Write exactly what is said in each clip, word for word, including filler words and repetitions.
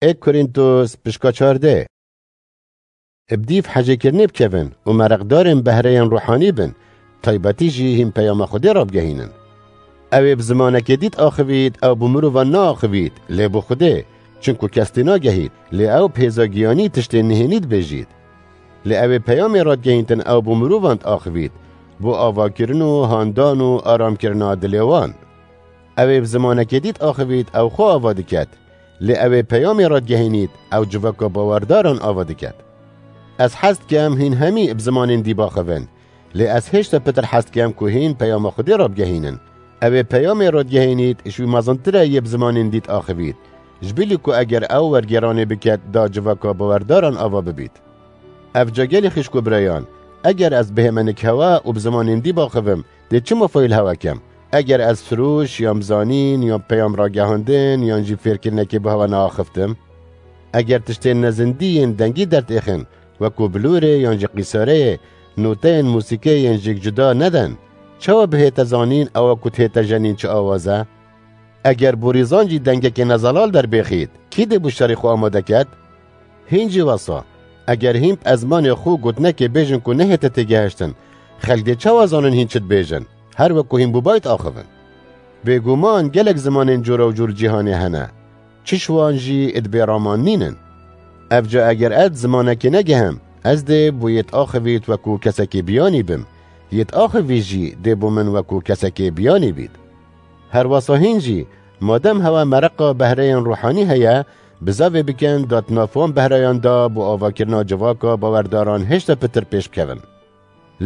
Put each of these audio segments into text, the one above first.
Ê Korîntos pişka çardeh. Bi dîv hecêkirinê bikevin û mereqdarên behreyên ruhanî bin, taybetî jî hîn peyama Xwedê rabigehînin. Ew ê bi zimanekê dît axivît, ew bi mirovan neaxivît, lê bi Xwedê, çinku kes tê nagehît, lê ew bi hêza giyanî tiştên nihênî dibêjît. Lê ew ê peyamê radgehîntin ew bi mirovan diaxivît, bo avakirin û handan û aramkirina dilê wan. Ew ê bi zimanekê dît axivît, ew xwe ava diket, lê ew ê peyamê radgehînît, ew civaka bawerdaran ava diket. Ez hez dikem hîn hemî bi zimanên dî baxivin, lê ez hêşta pitir hez dikem ku hîn peyama Xwedê rabigehînin. Ew ê peyamê radgehînît, ji wî mezintir e yê bi zimanên dît axivît, ji bilî ku eger ew wergêranê biket da civaka bawerdaran ava bibît. Ev ca gelî xişk û birayan, eger ez bihême nik hewe û bi zimanên dî baxivim, dê çima fayîl hewe kem? Eger ez firoş, yan bizanîn, yan peyam ragehandin, yan jî fêrkirinekê bi hewe neaxiftim? Eger tiştên nezindî yên dengî dertêxin, wekû bilûrê yan jî qîsareyê, noteyên mûsîkê yên jî cuda neden, çawa bihête zanîn ewa ku dihête jenîn çi awaz e? Eger borîzan jî dengekê nezelal derbêxît, kî dê bo şerê xwe amade ket? Hîn jî wesa, eger hîn bi ezmanê xwe gotinekê bêjin ku nehête têgehiştin, xelk dê çawa zanin hîn çi dibêjin? Her wek ku hîn bûbayî diaxivin. Bêguman gelek zimanên cora û cor cîhanê hene. Çi ji wan jî di bê raman nînin. Ev ca eger ez zimanekê negehim, ez dê bo yê diaxivît wekû kesekê biyanî bim. Yê diaxivî jî dê bo min wekû kesekê biyanî bît. Her wesa hîn jî, madem hewe mereqa behreyên ruhanî heye, bizavê bikin da di nav wan behreyan de bo avakirina civaka bawerdaran hêşta pitir pêş bikevin.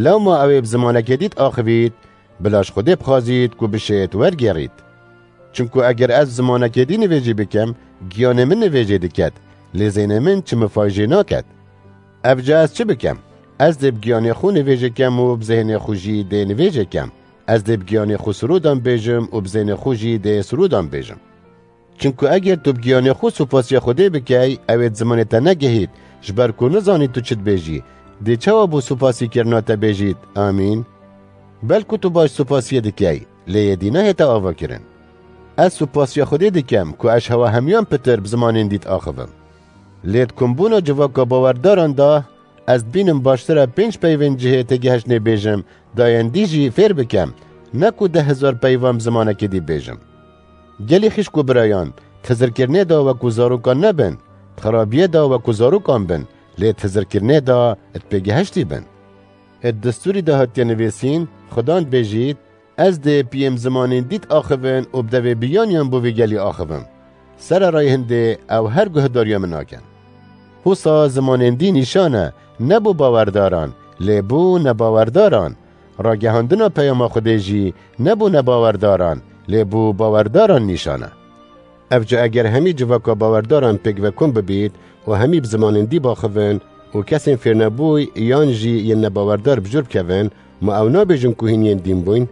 Lewma ew ê bi zimanekê dî diaxivît, bila ji Xwedê bixwazît ku bişêt wergêrît. Çimku eger ez zimanekê dî nivêjî bikim, giyanê min nivêjê diket, lê zênê min çi mifay jê naket. Ev ca ez çi bikim? Ez dê bi giyanê xwe nivêjê kem û bi zêhnê xwe jî dê nivêjê kem. Ez dê bi giyanê xwe sirodan bêjim û bi zêhnê xwe jî dê sirodan bêjim. Çimku eger tu bi giyanê xwe supasiya Xwedê bikey, ew ê di zimanê te negehît, ji ber ku nizanî tu çi dibêjî, dê çawa bo supasîkirina te bêjît, Amîn? Belku tu baş supasiyê dikey, lê yê dî nehête avakirin. Ez supasiya Xwedê dikem ku ez ji hewa hemiyan pitir bi zimanên dî diaxivim. Lê di kombûna civaka bawerdaran de, ez dibînim baştir e pênc peyvên cihê têgehiştinê bêjim, da yên dî jî fêr bikem, ne ku deh hezar peyvan bi zimanekê dî bêjim. Gelî xişk û birayan, di hizirkirinê de wekû zarokan nebin, di xirabiyê de wekû zarokan bin, lê di hizirkirinê de di pêgehiştî bin. Di destûrî de hatiye nivîsîn, Xudan dibêjît, Ez dê piyên zimanên dî diaxivin û bi devê biyaniyan bo vê gelî axivim. Sererayê hindê ew her guhdariya min nakin. Wisa zimanên dî nîşan e, ne bo bawerdaran, lê bo nebawerdaran. Ragihandina peyama Xwedê jî ne bo nebawerdaran, lê bo bawerdaran nîşan e. Ev ca eger hemî civaka bawerdaran pêk ve kom bibît û hemî bi zimanên dî baxivin û kesên fêrnebûy yan jî yên nebawerdar bi jor bikevin, ma ew nabêjin ku hîn yên dîn bûyn?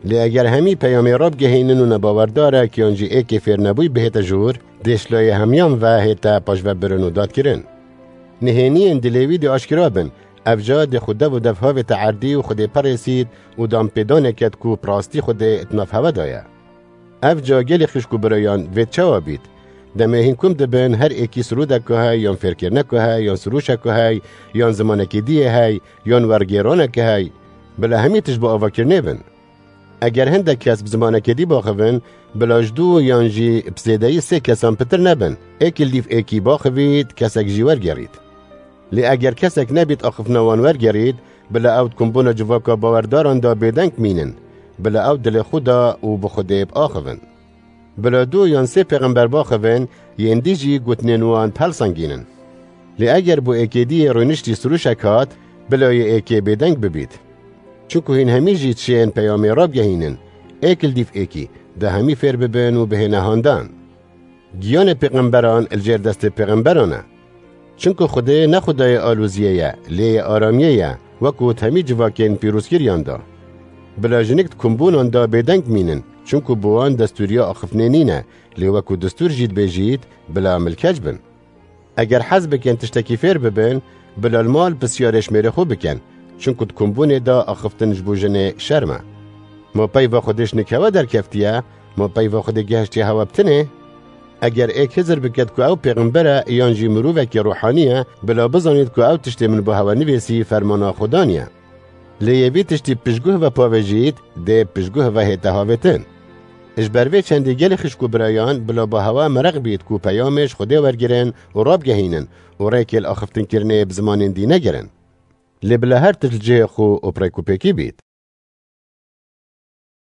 Lê eger hemî peyamê rabigehînin û nebawerdarek yan jî êkê fêrnebûy bihête jor, dê ji layê hemiyan ve hête paşvebirin û dadkirin. Nihêniyên dilê wî dê aşkera bin, ev ca dê xwe dev û dev havête erdî û Xwedê perêsît û danpêdanê ket ku bi rastî Xwedê di nav hewe de ye. Ev ca gelî xişk û birayan vê çawa bît? Demê hîn kom dibin, her êkî sirûdeka hey, yan fêrkirineka hey, yan sirûşeka hey, yan zimanekî diyê hey, yan wergêraneke hey. Bila hemî tişt bi avakirinê bin. Eger hindek kes bi zimanekê dî baxivin, bila ji du yan jî bi zêdeyî sê kesan pitir nebin. Êk li dîv êkî baxivît, kesek jî wergerît. Lê eger kesek nebît axiftina wan wergerît, bila ew di kombûna civaka bawerdaran de bêdeng mînin, bila ew dilê xwe de û bi Xwedê biaxivin. Bila du yan sê pêxember baxivin, yên dî jî gotinên wan bihelsengînin. Lê eger bo êkê dî yê rûniştî sirûşek hat, bila yê êkê bêdeng bibît. Çimku hîn hemî jî dişên peyamê rabigehînin, êk li dîv êkî, da hemî fêr bibin û bihêne handan. Giyanê pêxemberan li jêr destê pêxemberan e. Çimku Xwedê ne Xwedayê aloziyê ye, lê yê aramiyê ye, wekû di hemî civakên pîrozkiriyan de. Bila jinik di kombûnan de bêdeng mînin, çimku bi wan destûriya axiftinê nîne, lê wekû destûr jî dibêjît, bila milkeç bin. Eger hez bikin tiştekî fêr bibin, bila li mal pisyarê ji mêrê xwe bikin, çimku di kombûnê de axiftin ji bo jinê şerm e. Ma peyva Xwedê ji nik hewe derkeftiye, ma peyva Xwedê gehiştiye hewe bi tinê? Eger êk hizir biket ku ew pêxember e yan jî mirovekî ruhanî ye, bila bizanît ku ew tiştê min bo hewe nivîsî fermana Xudan ye. Lê yê vî tiştî piştguh ve pavêjît, dê piştguh ve hête havêtin. Ji ber vê çendî gelê xişk û birayan bila bo hewe mereq bît ku peyamê ji Xwedê wergirin û rabgehînin û rêkê li axiftinkirinê bi zimanên dî negirin. Lê bila her tişt li cihê xwe û bi rêk û pêkî bît.